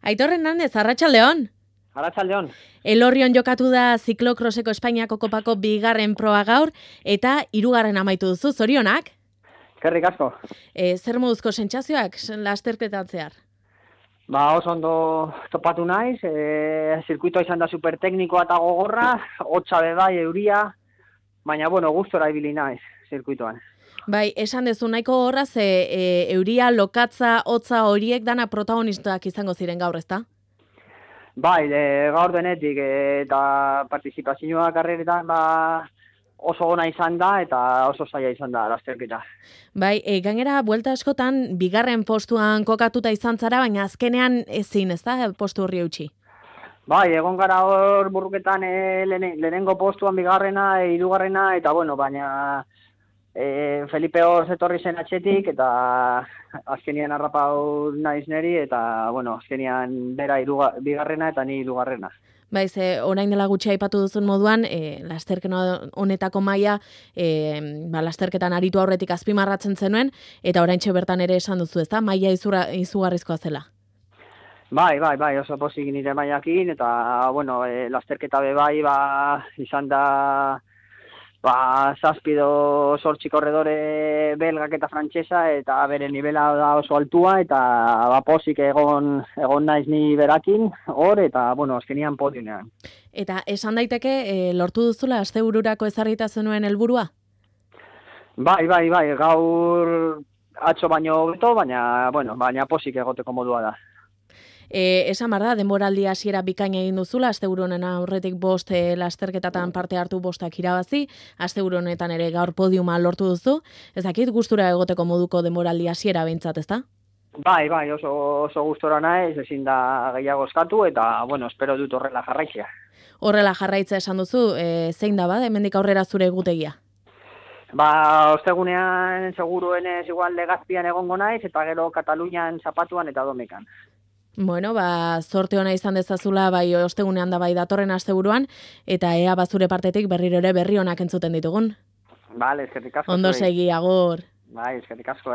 Aitor Hernandez, arratsaldeon. Arratsaldeon. Elorrion jokatu da ziklokroseko Espainiako kopako 2. proa gaur, eta 3. amaitu duzu, zorionak? Eskerrik asko. Zer moduzko sentsazioak lasterketan zehar? Oso ondo topatu naiz, zirkuitoa izan da superteknikoa eta gogorra, hotza bai, euria, baina gustora ibili naiz zirkuitoan. Bai, esan dezu nahiko horraz, euria, lokatza, hotza horiek dana protagonistak izango ziren gaur, ezta? Bai, gaur denetik eta partizipazioa karreretan oso ona izan da eta oso zaila izan da lasterketa. Bai, gainera, buelta askotan, 2. postuan kokatuta izan zara, baina azkenean ezin, ezta, postu horri eutxi? Bai, egon gara hor burruketan lehenengo postuan 2., 3. eta baina Felipe hor etorri zen atxetik eta azkenian harrapau naiz neri eta azkenian bera 2. eta ni 3. Baiz, orain dela gutxi aipatu duzun moduan, lasterketa honetako maila, lasterketan aritu aurretik azpimarratzen zenuen, eta oraintxe bertan ere esan duzu, ezta? Maila izugarrizkoa zela. Bai, oso pozik nire mailakin, eta, lasterketa bai, izan da, 7 korredore belgak eta frantsesa, eta bere nivela da oso altua, eta pozik egon naiz ni berakin, hor, eta, azkenian podiunean. Eta esan daiteke, lortu duzula astebururako ezarrita zenuen helburua? Bai, gaur atzo baino hobeto, baina pozik egoteko modua da. Esan bar da, denboraldi hasiera bikaina egin duzula, asteburu honen aurretik 5 lasterketatan parte hartu 5 irabazi, asteburu honetan ere gaur podiuma lortu duzu, ez dakit gustura egoteko moduko denboraldi hasiera behintzat, ezta? Bai, oso gustora naiz, ezin da gehiago eskatu, eta, espero dut horrela jarraitzea. Horrela jarraitza esan duzu, zein da hemendik aurrera zure egutegia? Ostegunean seguruenez igual Legazpian egongo naiz, eta gero Katalunian zapatuan eta Domekan. Zorte ona izan dezazula, bai ostegunean da bai datorren asteburuan, eta ea bazure partetik berriro ere berri onak entzuten ditugun. Bale, eskerrik asko. Ondo segi, agur. Bai, eskerrik asko,